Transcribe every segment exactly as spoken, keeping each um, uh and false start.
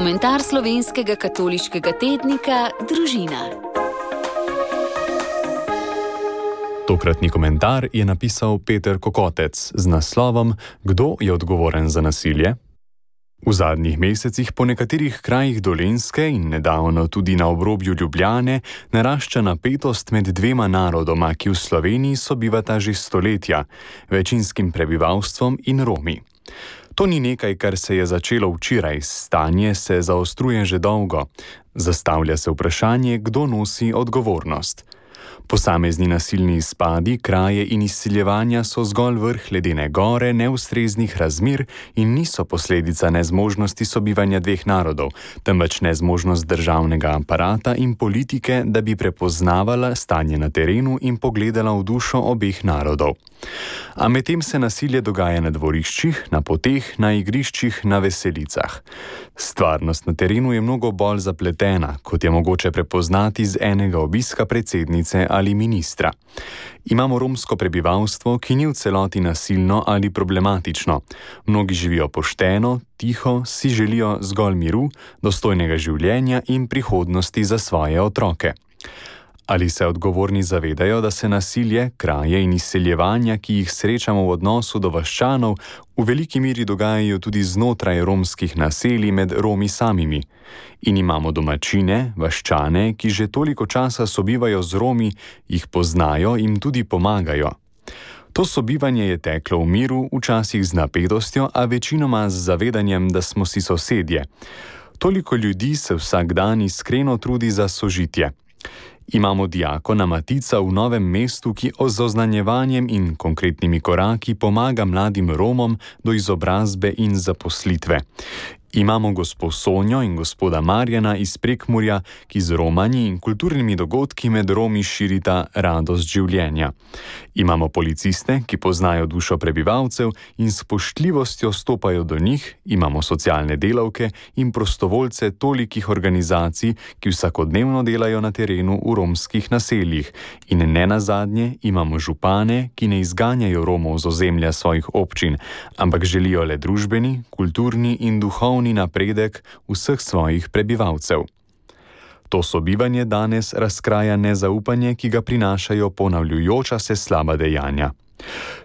Komentar slovenskega katoliškega tednika Družina. Tokratni komentar je napisal Peter Kokotec z naslovom Kdo je odgovoren za nasilje? V zadnjih mesecih po nekaterih krajih Dolenjske in nedavno tudi na obrobju Ljubljane narašča napetost med dvema narodoma, ki v Sloveniji sobivata že stoletja, večinskim prebivalstvom in Romi. To ni nekaj, kar se je začelo včeraj, stanje se zaostruje že dolgo. Zastavlja se vprašanje, kdo nosi odgovornost. Posamezni nasilni izpadi, kraje in izsiljevanja so zgolj vrh ledene gore neustreznih razmer in niso posledica nezmožnosti sobivanja dveh narodov, temveč nezmožnost državnega aparata in politike, da bi prepoznavala stanje na terenu in pogledala v dušo obeh narodov. A medtem se nasilje dogaja na dvoriščih, na poteh, na igriščih, na veselicah. Stvarnost na terenu je mnogo bolj zapletena, kot je mogoče prepoznati z enega obiska predsednice ali ministra. Imamo romsko prebivalstvo, ki ni v celoti nasilno ali problematično. Mnogi živijo pošteno, tiho, si želijo zgolj miru, dostojnega življenja in prihodnosti za svoje otroke. Ali se odgovorni zavedajo, da se nasilje, kraje in izseljevanja, ki jih srečamo v odnosu do vaščanov, v veliki meri dogajajo tudi znotraj romskih naselij med Romi samimi? In imamo domačine, vaščane, ki že toliko časa sobivajo z Romi, jih poznajo in tudi pomagajo. To sobivanje je teklo v miru, včasih z napetostjo, a večinoma z zavedanjem, da smo si sosedje. Toliko ljudi se vsak dan iskreno trudi za sožitje. Imamo diakona Matica v Novem mestu, ki z oznanjevanjem in konkretnimi koraki pomaga mladim Romom do izobrazbe in zaposlitve. Imamo gospo Sonjo in gospoda Marjana iz Prekmurja, ki z romanji in kulturnimi dogodki med Romi širita radost življenja. Imamo policiste, ki poznajo dušo prebivalcev in s spoštljivostjo stopajo do njih, imamo socialne delavke in prostovoljce tolikih organizacij, ki vsakodnevno delajo na terenu v romskih naseljih. In ne nazadnje imamo župane, ki ne izganjajo Romov z ozemlja svojih občin, ampak želijo le družbeni, kulturni in duhovni napredek vseh svojih prebivalcev. To sobivanje danes razkraja nezaupanje, ki ga prinašajo ponavljajoča se slaba dejanja.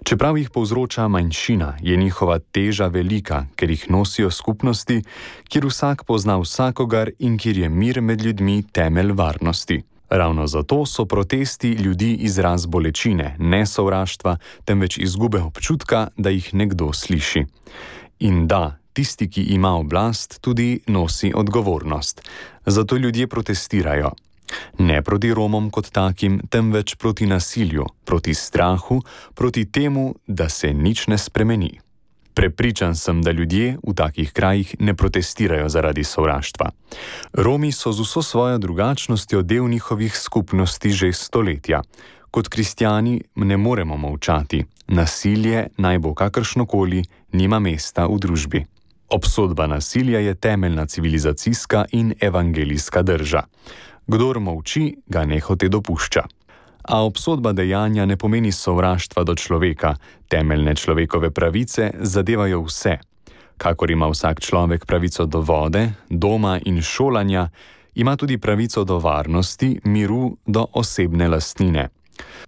Čeprav jih povzroča manjšina, je njihova teža velika, ker jih nosijo skupnosti, kjer vsak pozna vsakogar in kjer je mir med ljudmi temelj varnosti. Ravno zato so protesti ljudi izraz bolečine, ne sovraštva, temveč izgube občutka, da jih nekdo sliši. In da, tisti, ki ima oblast, tudi nosi odgovornost. Zato ljudje protestirajo. Ne proti Romom kot takim, temveč proti nasilju, proti strahu, proti temu, da se nič ne spremeni. Prepričan sem, da ljudje v takih krajih ne protestirajo zaradi sovraštva. Romi so z vso svojo drugačnostjo del njihovih skupnosti že stoletja. Kot kristjani ne moremo molčati. Nasilje, naj bo kakršnokoli, nima mesta v družbi. Obsodba nasilja je temeljna civilizacijska in evangelijska drža. Kdor molči, ga nehote dopušča. A obsodba dejanja ne pomeni sovraštva do človeka. Temeljne človekove pravice zadevajo vse. Kakor ima vsak človek pravico do vode, doma in šolanja, ima tudi pravico do varnosti, miru, do osebne lastnine.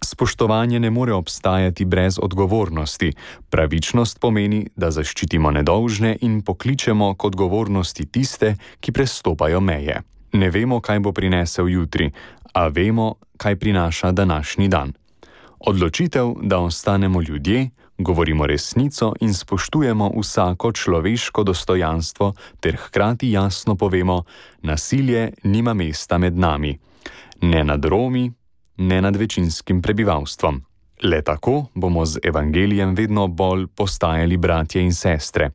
Spoštovanje ne more obstajati brez odgovornosti. Pravičnost pomeni, da zaščitimo nedolžne in pokličemo k odgovornosti tiste, ki prestopajo meje. Ne vemo, kaj bo prinesel jutri, a vemo, kaj prinaša današnji dan. Odločitev, da ostanemo ljudje, govorimo resnico in spoštujemo vsako človeško dostojanstvo ter hkrati jasno povemo, nasilje nima mesta med nami. Ne nad Romi, ne nad večinskim prebivalstvom. Le tako bomo z evangelijem vedno bolj postajali bratje in sestre.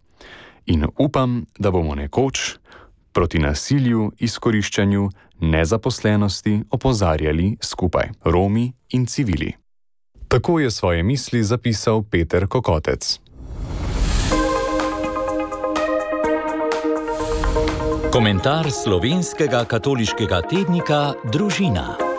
In upam, da bomo nekoč proti nasilju, izkoriščanju, nezaposlenosti opozarjali skupaj, Romi in civili. Tako je svoje misli zapisal Peter Kokotec. Komentar slovenskega katoliškega tednika Družina.